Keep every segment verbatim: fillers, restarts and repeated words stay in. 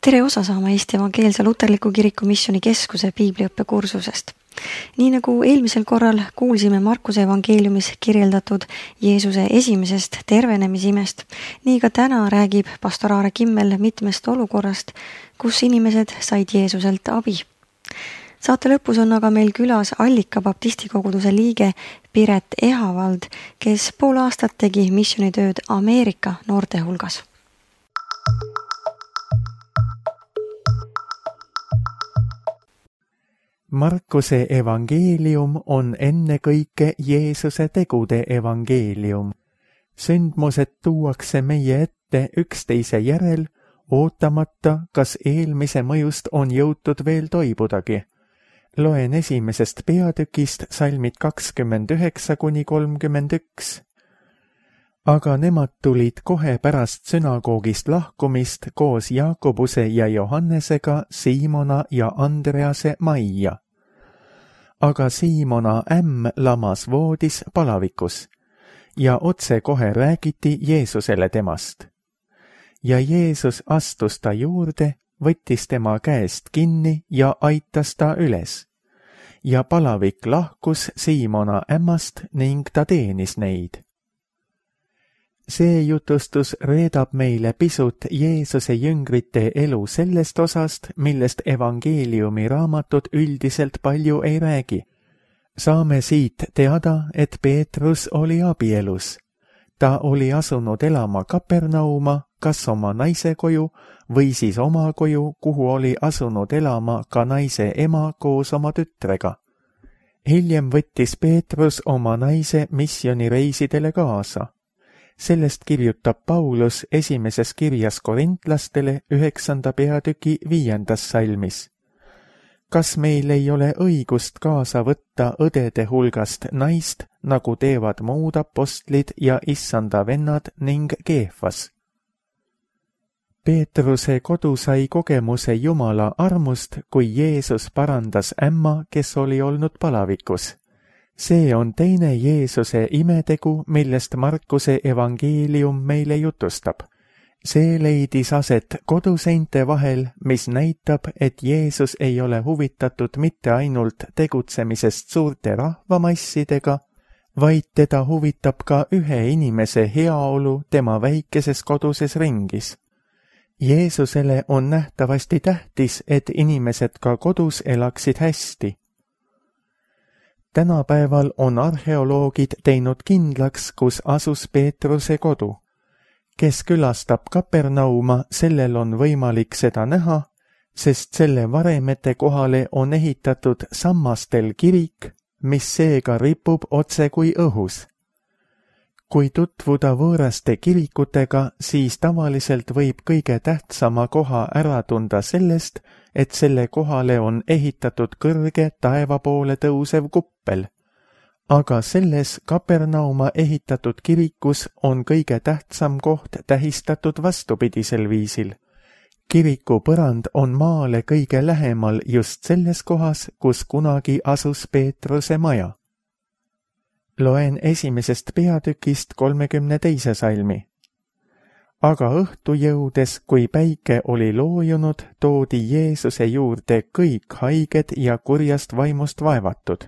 tere osa saama Eesti Evangeelse Luterliku Kiriku Missiooni Keskuse piibliõppe kursusest. Nii nagu eelmisel korral kuulsime Markuse evangeeliumis kirjeldatud Jeesuse esimesest tervenemisimest, nii ka täna räägib pastor Aare Kimmel mitmest olukorrast, kus inimesed said Jeesuselt abi. Saate lõpus on aga meil külas Allika baptistikoguduse liige Piret Ehavald, kes pool aastat tegi missioonitööd Ameerika noorte hulgas. Markuse evangeelium on ennekõike Jeesuse tegude evangeelium. Sündmused tuuakse meie ette üksteise järel, ootamata, kas eelmise mõjust on jõutud veel toibudagi. Loen esimesest peatükist salmid kakskümmend üheksa kuni kolmkümmend üks. Aga nemad tulid kohe pärast sünagoogist lahkumist koos Jaakobuse ja Johannesega, Siimona ja Andrease majja. Aga Siimona ämm lamas voodis palavikus ja otse kohe räägiti Jeesusele temast. Ja Jeesus astus ta juurde, võttis tema käest kinni ja aitas ta üles. Ja palavik lahkus Siimona ämmast ning ta teenis neid. See jutustus reedab meile pisut Jeesuse jüngrite elu sellest osast, millest evangeeliumi raamatud üldiselt palju ei räägi. Saame siit teada, et Peetrus oli abielus. Ta oli asunud elama Kapernauma, kas oma naise koju või siis oma koju, kuhu oli asunud elama ka naise ema koos oma tütrega. Hiljem võttis Peetrus oma naise missioonireisidele kaasa. Sellest kirjutab Paulus esimeses kirjas korintlastele üheksanda peatüki viiendas salmis. Kas meil ei ole õigust kaasa võtta õdede hulgast naist, nagu teevad muud apostlid ja issanda vennad ning Keefas? Peetruse kodu sai kogemuse Jumala armust, kui Jeesus parandas ämma, kes oli olnud palavikus. See on teine Jeesuse imetegu, millest Markuse evangeelium meile jutustab. See leidis aset koduseinte vahel, mis näitab, et Jeesus ei ole huvitatud mitte ainult tegutsemisest suurte rahvamassidega, vaid teda huvitab ka ühe inimese heaolu tema väikeses koduses ringis. Jeesusele on nähtavasti tähtis, et inimesed ka kodus elaksid hästi. Tänapäeval on arheoloogid teinud kindlaks, kus asus Peetruse kodu. Kes külastab Kapernauma, sellel on võimalik seda näha, sest selle varemete kohale on ehitatud sammastel kirik, mis seega ripub otse kui õhus. Kui tutvuda võõraste kirikutega, siis tavaliselt võib kõige tähtsama koha ära tunda sellest, et selle kohale on ehitatud kõrge taeva poole tõusev kuppel. Aga selles Kapernauma ehitatud kirikus on kõige tähtsam koht tähistatud vastupidisel viisil. Kiriku põrand on maale kõige lähemal just selles kohas, kus kunagi asus Peetruse maja. Loen esimesest peatükist kolmekümne teise salmi. Aga õhtu jõudes, kui päike oli loojunud, toodi Jeesuse juurde kõik haiged ja kurjast vaimust vaevatud.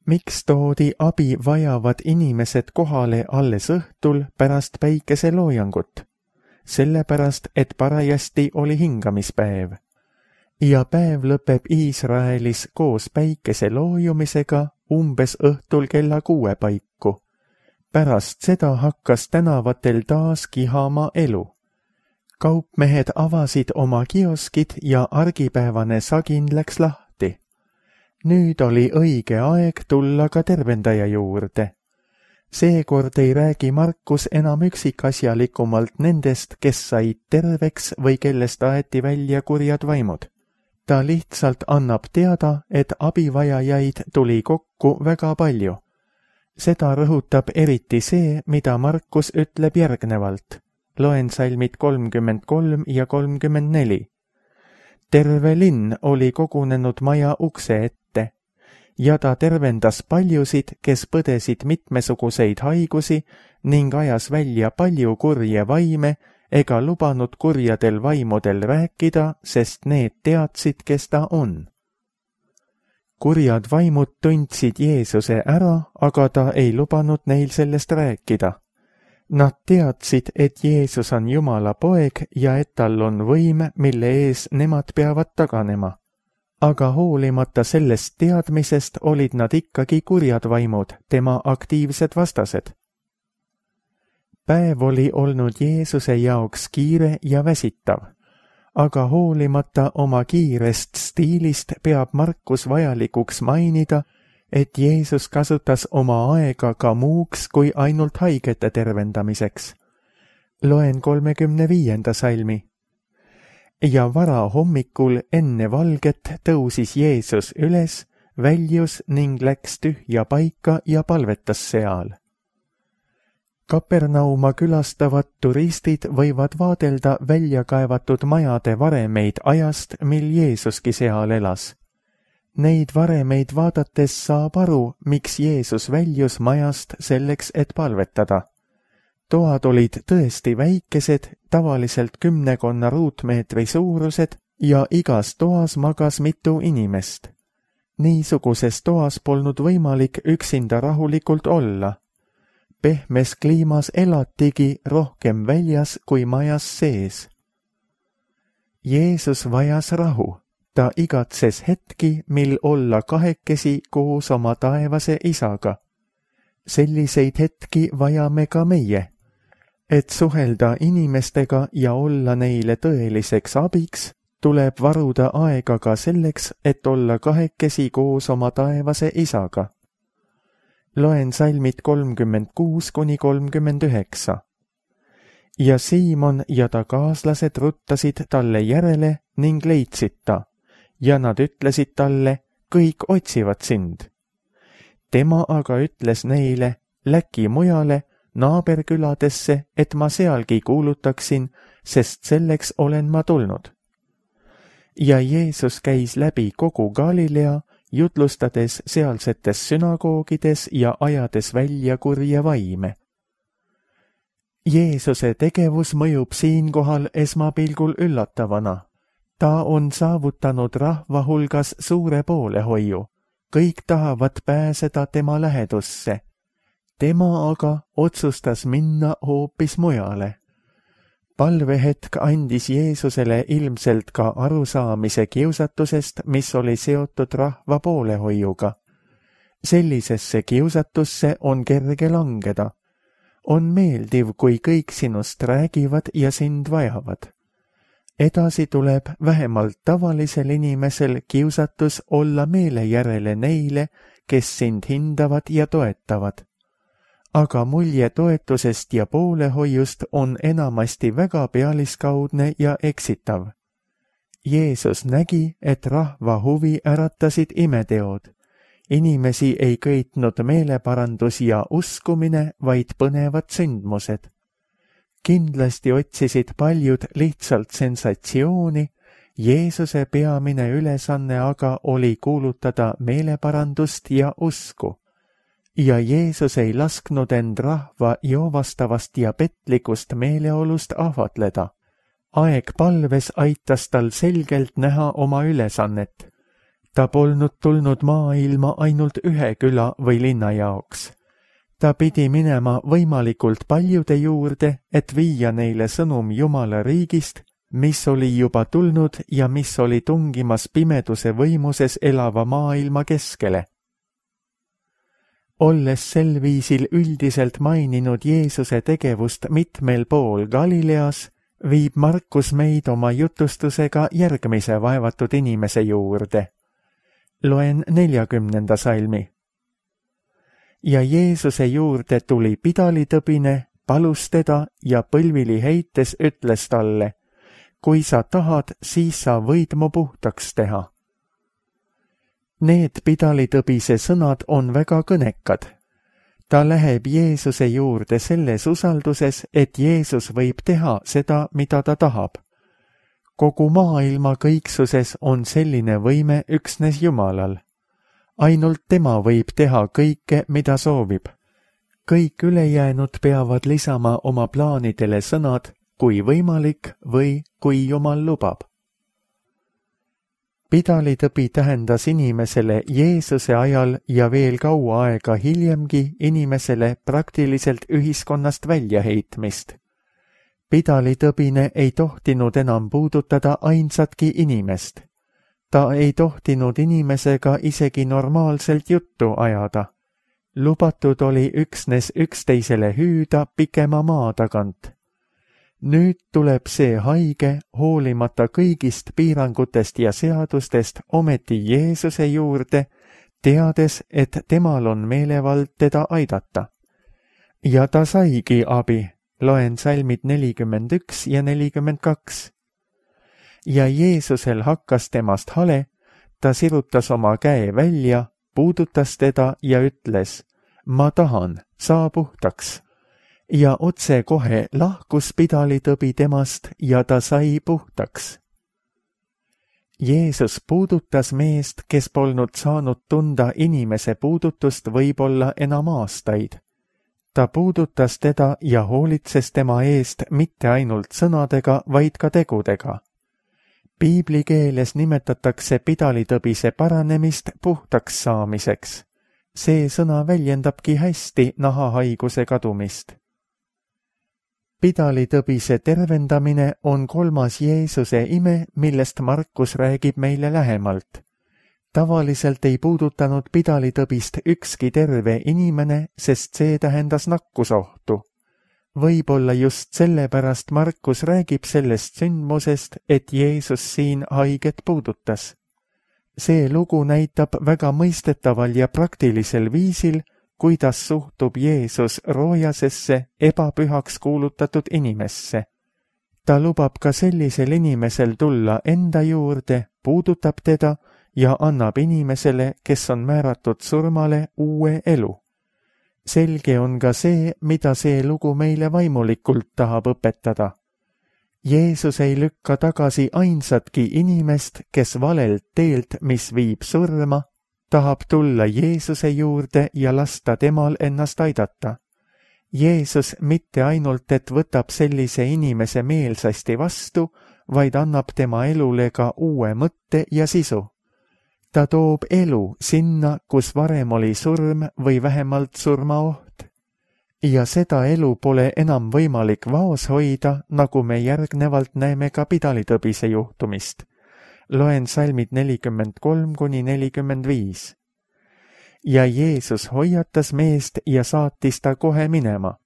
Miks toodi abi vajavad inimesed kohale alles õhtul pärast päikeseloojangut? Sellepärast, et parajasti oli hingamispäev. Ja päev lõpeb Iisraelis koos päikese loojumisega umbes õhtul kella kuue paiku. Pärast seda hakkas tänavatel taas kihama elu. Kaupmehed avasid oma kioskid ja argipäevane sagin läks lahti. Nüüd oli õige aeg tulla ka tervendaja juurde. Seekord ei räägi Markus enam üksikasjalikumalt nendest, kes said terveks või kellest aeti välja kurjad vaimud. Ta lihtsalt annab teada, et abivajajaid tuli kokku väga palju. Seda rõhutab eriti see, mida Markus ütleb järgnevalt. Loen salmid kolmkümmend kolm ja kolmkümmend neli. Terve linn oli kogunenud maja ukse ette, ja ta tervendas paljusid, kes põdesid mitmesuguseid haigusi ning ajas välja palju kurje vaime, ega lubanud kurjadel vaimudel rääkida, sest need teadsid, kes ta on. Kurjad vaimud tundsid Jeesuse ära, aga ta ei lubanud neil sellest rääkida. Nad teadsid, et Jeesus on Jumala poeg ja et tal on võim, mille ees nemad peavad taganema. Aga hoolimata sellest teadmisest olid nad ikkagi kurjad vaimud, tema aktiivsed vastased. Päev oli olnud Jeesuse jaoks kiire ja väsitav, aga hoolimata oma kiirest stiilist peab Markus vajalikuks mainida, et Jeesus kasutas oma aega ka muuks kui ainult haigete tervendamiseks. Loen kolmekümne viienda salmi. Ja vara hommikul enne valget tõusis Jeesus üles, väljus ning läks tühja paika ja palvetas seal. Kapernauma külastavad turistid võivad vaadelda välja kaevatud majade varemeid ajast, mil Jeesuski seal elas. Neid varemeid vaadates saab aru, miks Jeesus väljus majast selleks, et palvetada. Toad olid tõesti väikesed, tavaliselt kümnekonna ruutmeetri suurused ja igas toas magas mitu inimest. Niisuguses toas polnud võimalik üksinda rahulikult olla. Pehmes kliimas elatigi rohkem väljas kui majas sees. Jeesus vajas rahu. Ta igatses hetki, mil olla kahekesi koos oma taevase isaga. Selliseid hetki vajame ka meie, et suhelda inimestega ja olla neile tõeliseks abiks, tuleb varuda aega ka selleks, et olla kahekesi koos oma taevase isaga. Loen salmid kolmkümmend kuus kuni kolmkümmend üheksa. Ja Siimon ja ta kaaslased ruttasid talle järele ning leidsid ta. Ja nad ütlesid talle, kõik otsivad sind. Tema aga ütles neile, läki mujale, naaberküladesse, et ma sealgi kuulutaksin, sest selleks olen ma tulnud. Ja Jeesus käis läbi kogu Galilea, jutlustades sealsetes sünagoogides ja ajades välja kurje vaime. Jeesuse tegevus mõjub siinkohal esmapilgul üllatavana. Ta on saavutanud rahva hulgas suure poolehoiu. Kõik tahavad pääseda tema lähedusse. Tema aga otsustas minna hoopis mujale. Palvehetk andis Jeesusele ilmselt ka arusaamise kiusatusest, mis oli seotud rahva poolehoiuga. Sellisesse kiusatusse on kerge langeda. On meeldiv, kui kõik sinust räägivad ja sind vajavad. Edasi tuleb vähemalt tavalisel inimesel kiusatus olla meele järele neile, kes sind hindavad ja toetavad. Aga mulje toetusest ja poolehoiust on enamasti väga pealiskaudne ja eksitav. Jeesus nägi, et rahva huvi äratasid imeteod. Inimesi ei köitnud meeleparandus ja uskumine, vaid põnevad sündmused. Kindlasti otsisid paljud lihtsalt sensatsiooni, Jeesuse peamine ülesanne aga oli kuulutada meeleparandust ja usku. Ja Jeesus ei lasknud end rahva joovastavast ja petlikust meeleolust ahvatleda. Aeg palves aitas tal selgelt näha oma ülesannet. Ta polnud tulnud maailma ainult ühe küla või linna jaoks. Ta pidi minema võimalikult paljude juurde, et viia neile sõnum Jumala riigist, mis oli juba tulnud ja mis oli tungimas pimeduse võimuses elava maailma keskele. Olles sel viisil üldiselt maininud Jeesuse tegevust mitmel pool Galileas, viib Markus meid oma jutustusega järgmise vaevatud inimese juurde. Loen neljakümnenda salmi. Ja Jeesuse juurde tuli pidalitõbine, palus teda ja põlvili heites ütles talle, kui sa tahad, siis sa võid mu puhtaks teha. Need pidalitõbise sõnad on väga kõnekad. Ta läheb Jeesuse juurde selles usalduses, et Jeesus võib teha seda, mida ta tahab. Kogu maailma kõiksuses on selline võime üksnes Jumalal. Ainult tema võib teha kõike, mida soovib. Kõik ülejäänud peavad lisama oma plaanidele sõnad, kui võimalik või kui Jumal lubab. Pidalitõbi tähendas inimesele Jeesuse ajal ja veel kaua aega hiljemgi inimesele praktiliselt ühiskonnast väljaheitmist. Pidalitõbine ei tohtinud enam puudutada ainsatki inimest. Ta ei tohtinud inimesega isegi normaalselt juttu ajada. Lubatud oli üksnes üksteisele hüüda pikema maa tagant. Nüüd tuleb see haige, hoolimata kõigist piirangutest ja seadustest, ometi Jeesuse juurde, teades, et temal on meelevald teda aidata. Ja ta saigi abi, loen salmid nelikümmend üks ja nelikümmend kaks. Ja Jeesusel hakkas temast hale, ta sirutas oma käe välja, puudutas teda ja ütles, ma tahan, saa puhtaks. Ja otse kohe lahkus pidalitõbi temast ja ta sai puhtaks. Jeesus puudutas meest, kes polnud saanud tunda inimese puudutust võib-olla enam aastaid. Ta puudutas teda ja hoolitses tema eest mitte ainult sõnadega, vaid ka tegudega. Piibli keeles nimetatakse pidalitõbise paranemist puhtaks saamiseks. See sõna väljendabki hästi nahahaiguse kadumist. Pidalitõbise tervendamine on kolmas Jeesuse ime, millest Markus räägib meile lähemalt. Tavaliselt ei puudutanud pidalitõbist ükski terve inimene, sest see tähendas nakkusohtu. Võib-olla just sellepärast Markus räägib sellest sündmusest, et Jeesus siin haiget puudutas. See lugu näitab väga mõistetaval ja praktilisel viisil, kuidas suhtub Jeesus roojasesse, ebapühaks kuulutatud inimesse. Ta lubab ka sellisel inimesel tulla enda juurde, puudutab teda ja annab inimesele, kes on määratud surmale, uue elu. Selge on ka see, mida see lugu meile vaimulikult tahab õpetada. Jeesus ei lükka tagasi ainsatki inimest, kes valelt teelt, mis viib surma, tahab tulla Jeesuse juurde ja lasta temal ennast aidata. Jeesus mitte ainult, et võtab sellise inimese meelsasti vastu, vaid annab tema elule ka uue mõtte ja sisu. Ta toob elu sinna, kus varem oli surm või vähemalt surmaoht. Ja seda elu pole enam võimalik vaos hoida, nagu me järgnevalt näeme ka pidalitõbise juhtumist. Loen salmid nelikümmend kolm kuni nelikümmend viis. Ja Jeesus hoiatas meest ja saatis ta kohe minema.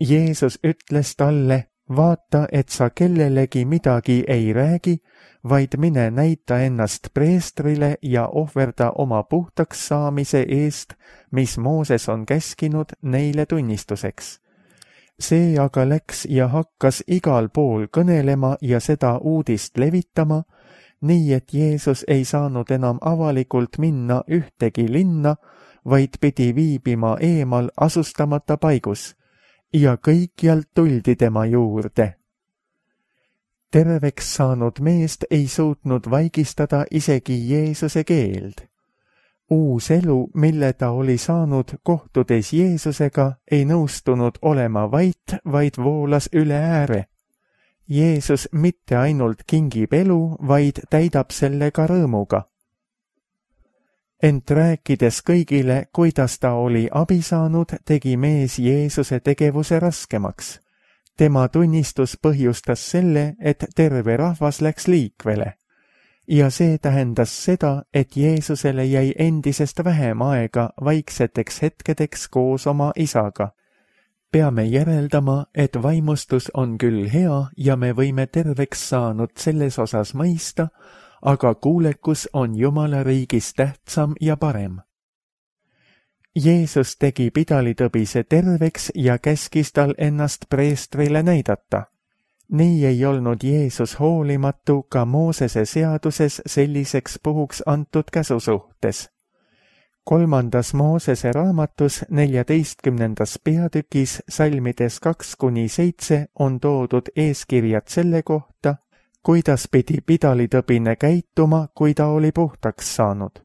Jeesus ütles talle, vaata, et sa kellelegi midagi ei räägi, vaid mine näita ennast preestrile ja ohverda oma puhtaks saamise eest, mis Mooses on käskinud neile tunnistuseks. See aga läks ja hakkas igal pool kõnelema ja seda uudist levitama, nii et Jeesus ei saanud enam avalikult minna ühtegi linna, vaid pidi viibima eemal asustamata paigus, ja kõikjalt tuldi tema juurde. Terveks saanud meest ei suutnud vaigistada isegi Jeesuse keeld. Uus elu, mille ta oli saanud kohtudes Jeesusega, ei nõustunud olema vait, vaid voolas üle ääre. Jeesus mitte ainult kingib elu, vaid täidab selle ka rõõmuga. Ent rääkides kõigile, kuidas ta oli abi saanud, tegi mees Jeesuse tegevuse raskemaks. Tema tunnistus põhjustas selle, et terve rahvas läks liikvele. Ja see tähendas seda, et Jeesusele jäi endisest vähem aega vaikseteks hetkedeks koos oma isaga. Peame järeldama, et vaimustus on küll hea ja me võime terveks saanud selles osas mõista, aga kuulekus on Jumala riigis tähtsam ja parem. Jeesus tegi pidalitõbise terveks ja käskis tal ennast preestrile näidata. Nii ei olnud Jeesus hoolimatu ka Moosese seaduses selliseks puhuks antud käsu suhtes. Kolmandas Moosese raamatus neljateistkümnendas peatükis salmides kaks kuni seitse on toodud eeskirjad selle kohta, kuidas pidi pidalitõbine käituma, kui ta oli puhtaks saanud.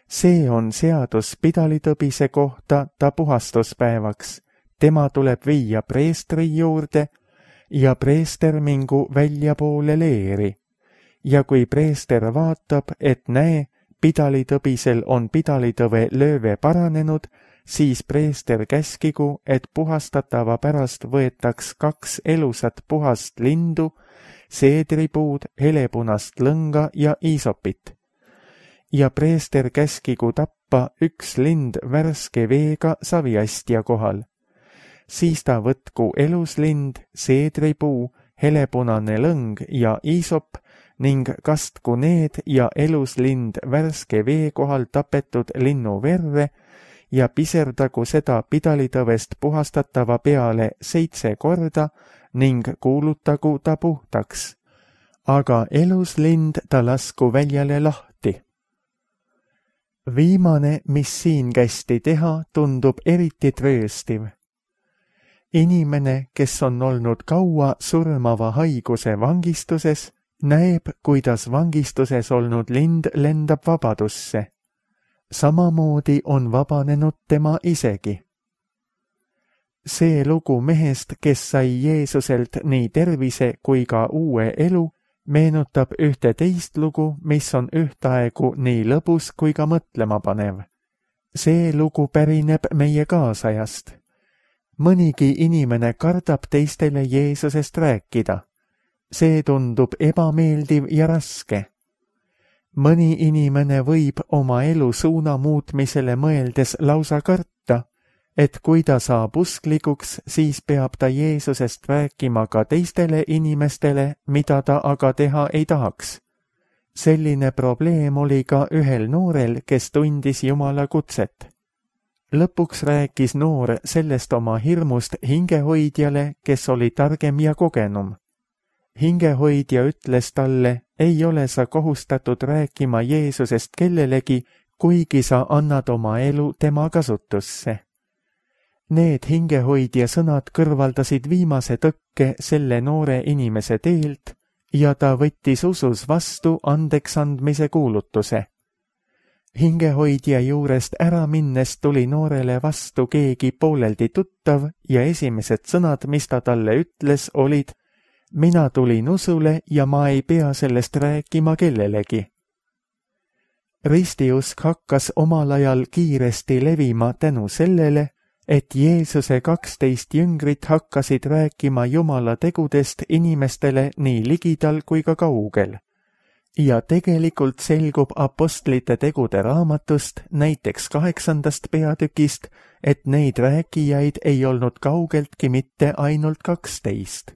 See on seadus pidalitõbise kohta ta puhastuspäevaks. Tema tuleb viia preestri juurde, ja preester mingu väljapoole leeri. Ja kui preester vaatab, et näe, pidalitõbisel on pidalitõve lööve paranenud, siis preester käskigu, et puhastatava pärast võetaks kaks elusat puhast lindu, seedripuud, helepunast lõnga ja iisopit. Ja preester käskigu tappa üks lind värske veega saviastja kohal. Siis ta võtku eluslind, seedripuu, helepunane lõng ja iisop ning kastku need ja eluslind värske vee kohal tapetud linnu verre ja piserdagu seda pidalitõvest puhastatava peale seitse korda ning kuulutagu ta puhtaks. Aga eluslind ta lasku väljale lahti. Viimane, mis siin kästi teha, tundub eriti trööstiv. Inimene, kes on olnud kaua surmava haiguse vangistuses, näeb, kuidas vangistuses olnud lind lendab vabadusse. Samamoodi on vabanenud tema isegi. See lugu mehest, kes sai Jeesuselt nii tervise kui ka uue elu, meenutab ühte teist lugu, mis on ühtaegu nii lõbus kui ka mõtlemapanev. See lugu pärineb meie kaasajast. Mõnigi inimene kardab teistele Jeesusest rääkida. See tundub ebameeldiv ja raske. Mõni inimene võib oma elu suuna muutmisele mõeldes lausa karta, et kui ta saab usklikuks, siis peab ta Jeesusest rääkima ka teistele inimestele, mida ta aga teha ei tahaks. Selline probleem oli ka ühel noorel, kes tundis Jumala kutset. Lõpuks rääkis noor sellest oma hirmust hingehoidjale, kes oli targem ja kogenum. Hingehoidja ütles talle, ei ole sa kohustatud rääkima Jeesusest kellelegi, kuigi sa annad oma elu tema kasutusse. Need hingehoidja sõnad kõrvaldasid viimase tõkke selle noore inimese teelt ja ta võttis usus vastu andeks andmise kuulutuse. Hingehoidja juurest ära minnes tuli noorele vastu keegi pooleldi tuttav ja esimesed sõnad, mis ta talle ütles, olid: mina tulin usule ja ma ei pea sellest rääkima kellelegi. Ristiusk hakkas omal ajal kiiresti levima tänu sellele, et Jeesuse kaksteist jüngrit hakkasid rääkima Jumala tegudest inimestele nii ligidal kui ka kaugel. Ja tegelikult selgub apostlite tegude raamatust, näiteks kaheksandast peatükist, et neid rääkijaid ei olnud kaugeltki mitte ainult kaksteist.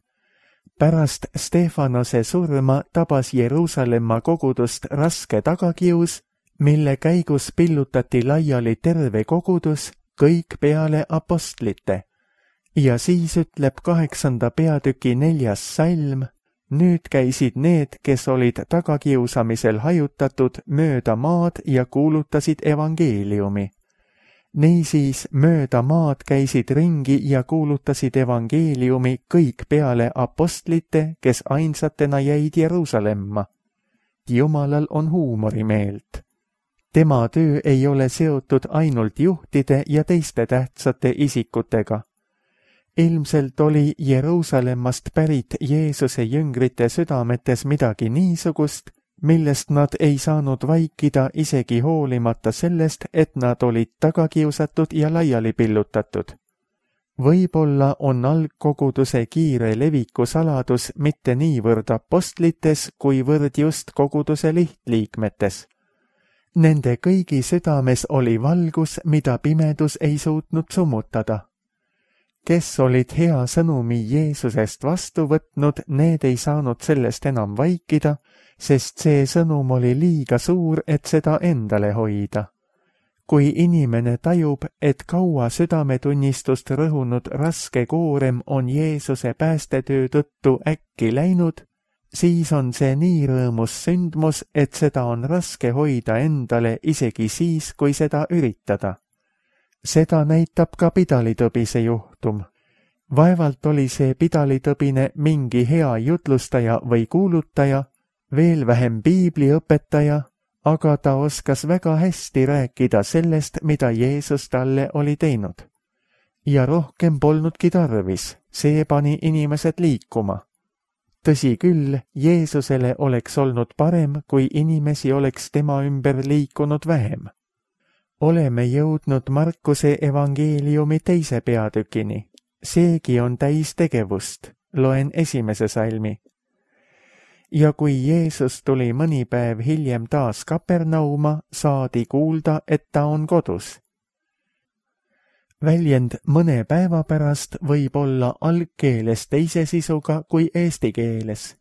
Pärast Stefanose surma tabas Jeruusalemma kogudust raske tagakius, mille käigus pillutati laiali terve kogudus, kõik peale apostlite. Ja siis ütleb kaheksanda peatüki neljas salm: nüüd käisid need, kes olid tagakiusamisel hajutatud mööda maad ja kuulutasid evangeeliumi. Niisiis mööda maad käisid ringi ja kuulutasid evangeeliumi kõik peale apostlite, kes ainsatena jäid Jeruusalemma. Jumalal on huumorimeelt. Tema töö ei ole seotud ainult juhtide ja teiste tähtsate isikutega. Ilmselt oli Jeruusalemmast pärit Jeesuse jüngrite südametes midagi niisugust, millest nad ei saanud vaikida isegi hoolimata sellest, et nad olid tagakiusatud ja laiali pillutatud. Võib-olla on algkoguduse kiire leviku saladus mitte niivõrd apostlites, kuivõrd just koguduse lihtliikmetes. Nende kõigi südames oli valgus, mida pimedus ei suutnud summutada. Kes olid hea sõnumi Jeesusest vastu võtnud, need ei saanud sellest enam vaikida, sest see sõnum oli liiga suur, et seda endale hoida. Kui inimene tajub, et kaua südametunnistust rõhunud raske koorem on Jeesuse päästetöö tõttu äkki läinud, siis on see nii rõõmus sündmus, et seda on raske hoida endale isegi siis, kui seda üritada. Seda näitab ka pidalitõbise juhtum. Vaevalt oli see pidalitõbine mingi hea jutlustaja või kuulutaja, veel vähem piibliõpetaja, aga ta oskas väga hästi rääkida sellest, mida Jeesus talle oli teinud. Ja rohkem polnudki tarvis, see pani inimesed liikuma. Tõsi küll, Jeesusele oleks olnud parem, kui inimesi oleks tema ümber liikunud vähem. Oleme jõudnud Markuse evangeeliumi teise peatükini. Seegi on täis tegevust. Loen esimese salmi. Ja kui Jeesus tuli mõni päev hiljem taas Kapernauma, saadi kuulda, et ta on kodus. Väljend mõne päeva pärast võib olla algkeeles teise sisuga kui eesti keeles.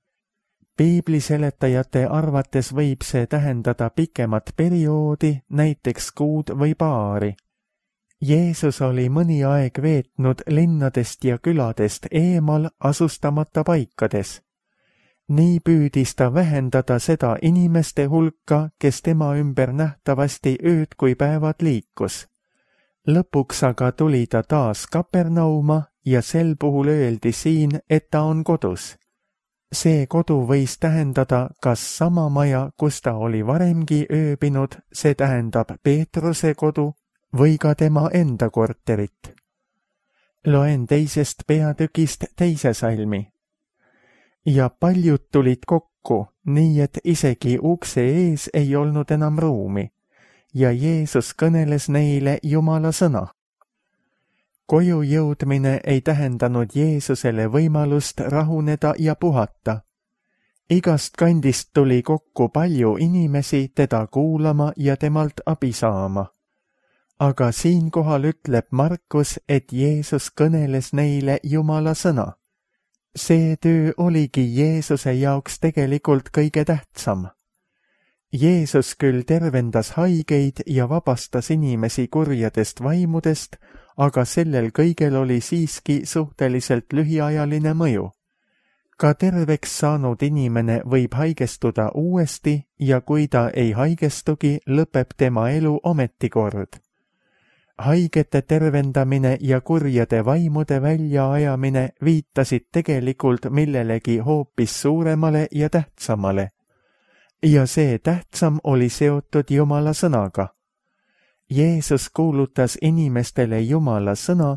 Piibliseletajate arvates võib see tähendada pikemat perioodi, näiteks kuud või paari. Jeesus oli mõni aeg veetnud linnadest ja küladest eemal asustamata paikades. Nii püüdis ta vähendada seda inimeste hulka, kes tema ümber nähtavasti ööd kui päevad liikus. Lõpuks aga tuli ta taas Kapernauma ja sel puhul öeldi siin, et ta on kodus. See kodu võis tähendada kas sama maja, kus ta oli varemgi ööbinud, see tähendab Peetruse kodu, või ka tema enda korterit. Loen teisest peatükist teise salmi. Ja paljud tulid kokku, nii et isegi ukse ees ei olnud enam ruumi. Ja Jeesus kõneles neile Jumala sõna. Koju jõudmine ei tähendanud Jeesusele võimalust rahuneda ja puhata. Igast kandist tuli kokku palju inimesi teda kuulama ja temalt abi saama. Aga siinkohal ütleb Markus, et Jeesus kõneles neile Jumala sõna. See töö oligi Jeesuse jaoks tegelikult kõige tähtsam. Jeesus küll tervendas haigeid ja vabastas inimesi kurjadest vaimudest, aga sellel kõigel oli siiski suhteliselt lühiajaline mõju. Ka terveks saanud inimene võib haigestuda uuesti ja kui ta ei haigestugi, lõpeb tema elu ometikord. Haigete tervendamine ja kurjade vaimude väljaajamine viitasid tegelikult millelegi hoopis suuremale ja tähtsamale. Ja see tähtsam oli seotud Jumala sõnaga. Jeesus kuulutas inimestele Jumala sõna,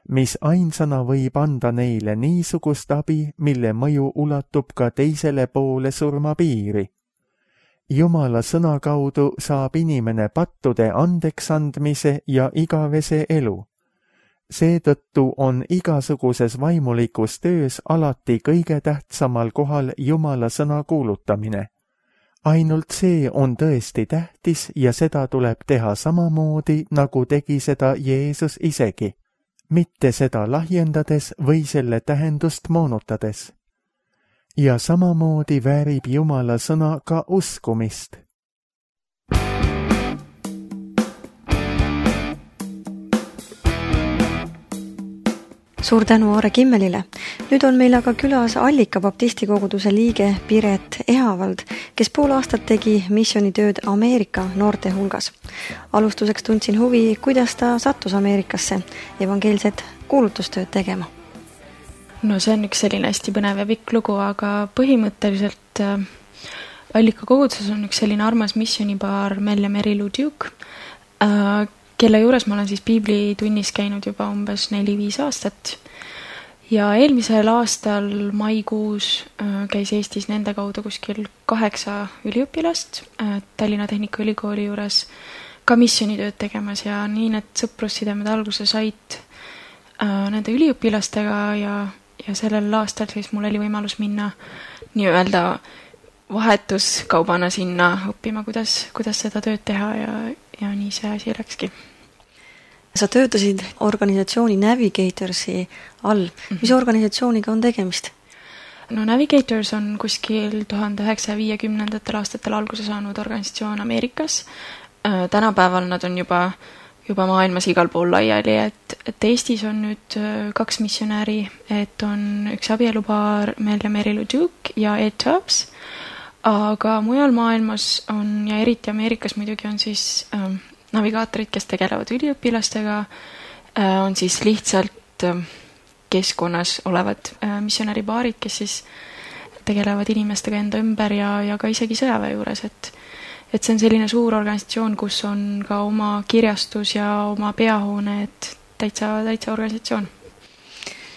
mis ainsana võib anda neile niisugust abi, mille mõju ulatub ka teisele poole surmapiiri. Jumala sõna kaudu saab inimene pattude andeks andmise ja igavese elu. Seetõttu on igasuguses vaimulikus töös alati kõige tähtsamal kohal Jumala sõna kuulutamine. Ainult see on tõesti tähtis ja seda tuleb teha samamoodi, nagu tegi seda Jeesus isegi, mitte seda lahjendades või selle tähendust moonutades. Ja samamoodi väärib Jumala sõna ka uskumist. Suur tänu Aare Kimmelile. Nüüd on meil aga külas Allika baptisti koguduse liige Piret Ehavald, kes pool aastat tegi missioonitööd Ameerika noorte hulgas. Alustuseks tundsin huvi, kuidas ta sattus Ameerikasse evangeelset kuulutustööd tegema. No see on üks selline hästi põnev ja pikk lugu, aga põhimõtteliselt äh, Allika koguduses on üks selline armas missioonipaar Mel ja Mary Lou Duke, äh, kelle juures ma olen siis piiblitunnis käinud juba umbes neli-viis aastat. Ja eelmisel aastal maikuus käis Eestis nende kaudu kuskil kaheksa üliõpilast Tallinna Tehnikaülikooli juures ka missioonitööd tegemas ja nii need sõprussidemed alguse said nende üliõpilastega ja, ja sellel aastal siis mul oli võimalus minna nii-öelda vahetuskaubana sinna õppima, kuidas, kuidas seda tööd teha ja, ja nii see asi läkski. Sa töötasid organisatsiooni Navigatorsi all. Mis organisatsiooniga on tegemist? No Navigators on kuskil tuhande üheksasaja viiekümnendatel aastatel alguse saanud organisatsioon Ameerikas. Tänapäeval nad on juba, juba maailmas igal pool laiali, et, et Eestis on nüüd kaks missionääri, et on üks abielupaar Mel ja Mary Lou Duke ja Ed Tubbs, aga mujal maailmas on ja eriti Ameerikas muidugi on siis ähm, navigaatorid, kes tegelevad üliõpilastega, on siis lihtsalt keskkonnas olevad missionäripaarid, kes siis tegelevad inimestega enda ümber ja, ja ka isegi sõjaväe juures, et, et see on selline suur organisatsioon, kus on ka oma kirjastus ja oma peahoone, et täitsa, täitsa organisatsioon.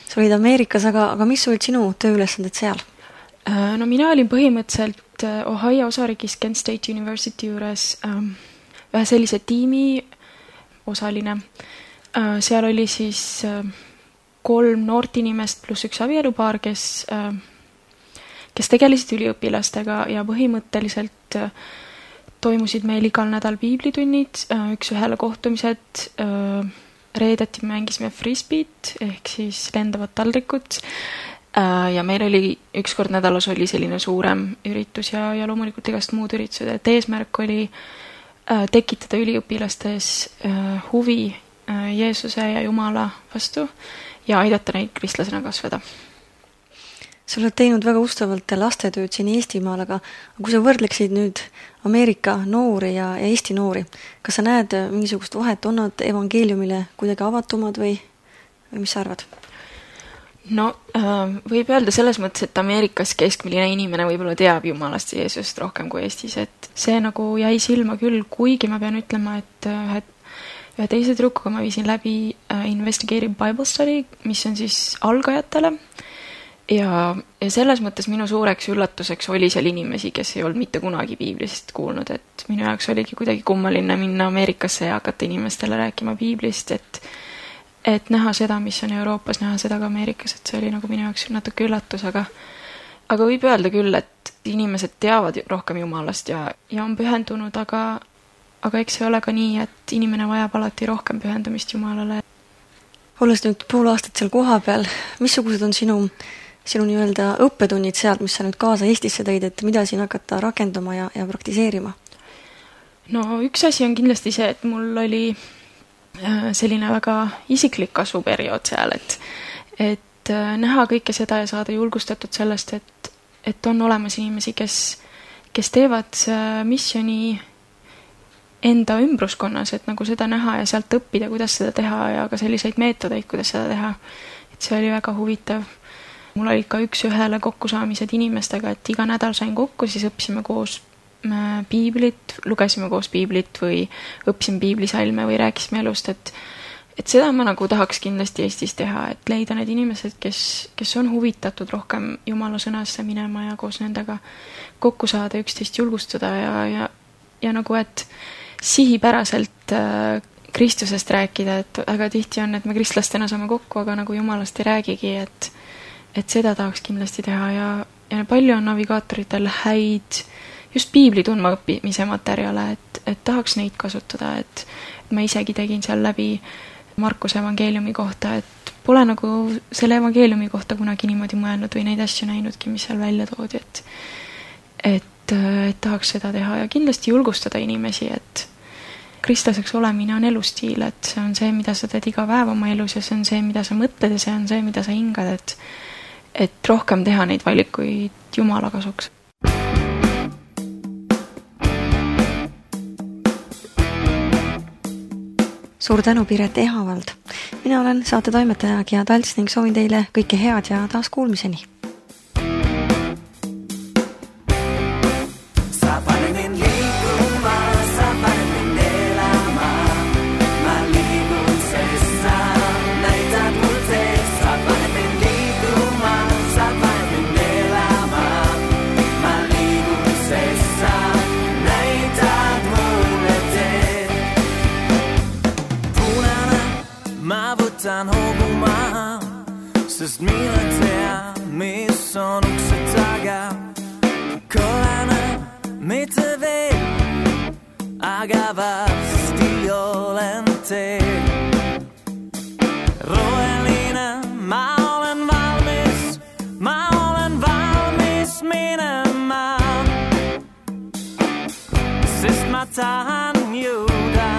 Sa sa olid Ameerikas, aga, aga mis olid sinu tööülesanded seal? No mina olin põhimõtteliselt Ohio osariigis Kent State University juures ähm, ühe sellise tiimi osaline. Äh, seal oli siis äh, kolm noort inimest pluss üks abielupaar, kes, äh, kes tegelesid üliõpilastega ja põhimõtteliselt äh, toimusid meil igal nädal piiblitunnid, äh, üks ühele kohtumised, äh, reedeti mängisime frisbeet ehk siis lendavat taldrikut. Ja meil oli üks kord nädalas oli selline suurem üritus ja, ja loomulikult igast muud üritused, et eesmärk oli tekitada üliõpilastes huvi Jeesuse ja Jumala vastu ja aidata neid kristlasena kasvada. Sa oled teinud väga ustavalt lastetööd siin Eestimaal, aga kui sa võrdleksid nüüd Ameerika noori ja, ja Eesti noori, kas sa näed mingisugust vahet, on nad evangeeliumile kuidagi avatumad või, või mis sa arvad? No võib öelda selles mõttes, et Ameerikas keskmiline inimene võib-olla teab Jumalast ja Jeesust rohkem kui Eestis, et see nagu jäi silma küll, kuigi ma pean ütlema, et ühe, ühe teise tüdrukuga ma viisin läbi Investigative Bible Study, mis on siis algajatele ja, ja selles mõttes minu suureks üllatuseks oli seal inimesi, kes ei olnud mitte kunagi piiblist kuulnud, et minu jaoks oligi kuidagi kummaline minna Ameerikasse ja hakata inimestele rääkima piiblist, et et näha seda, mis on Euroopas, näha seda ka Ameerikas, et see oli nagu minu jaoks natuke üllatus, aga aga võib öelda küll, et inimesed teavad rohkem Jumalast ja, ja on pühendunud, aga, aga eks see ole ka nii, et inimene vajab alati rohkem pühendumist Jumalale. Olles nüüd pool aastat seal koha peal, missugused on sinu, sinu nii-öelda õppetunnid sealt, mis sa nüüd kaasa Eestisse tõid, et mida siin hakata rakenduma ja, ja praktiseerima? No üks asi on kindlasti see, et mul oli selline väga isiklik kasvuperiood seal, et, et näha kõike seda ja saada julgustatud sellest, et, et on olemas inimesi, kes, kes teevad missioni enda ümbruskonnas, et nagu seda näha ja sealt õppida, kuidas seda teha ja ka selliseid meetodeid, kuidas seda teha. Et see oli väga huvitav. Mul oli ka üks ühele kokkusaamised inimestega, et iga nädal sain kokku, siis õppisime koos piiblit, lugesime koos piiblit või õppisime piiblisalme või rääkisime elust, et, et seda ma nagu tahaks kindlasti Eestis teha, et leida need inimesed, kes, kes on huvitatud rohkem Jumala sõnasse minema ja koos nendega kokku saada, üksteist julgustada ja, ja, ja nagu, et sihipäraselt äh, Kristusest rääkida, et väga tihti on, et me kristlastena saame kokku, aga nagu Jumalast ei räägigi, et, et seda tahaks kindlasti teha ja, ja palju on navigaatoritel häid just piibli tundma õppimise materjale, et, et tahaks neid kasutada, et ma isegi tegin seal läbi Markuse evangeeliumi kohta, et pole nagu selle evangeeliumi kohta kunagi niimoodi mõelnud või neid asju näinudki, mis seal välja toodi, et, et, et tahaks seda teha ja kindlasti julgustada inimesi, et kristlaseks olemine on elustiil, et see on see, mida sa teed iga päev oma elus ja see on see, mida sa mõtled ja see on see, mida sa hingad, et, et rohkem teha neid valikuid Jumala kasuks. Suur tänu, Piret Ehavald. Mina olen saate toimetaja Gia Talts ning soovin teile kõike head ja taas kuulmiseni. Sest mina tean, mis on ukse taga. Korana mitte veel, aga varsti olen teel. Roheline, ma olen valmis, ma olen valmis minema. Sest ma tahan jõuda,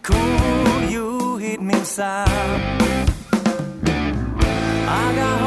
kuhu juhid mind sa. I got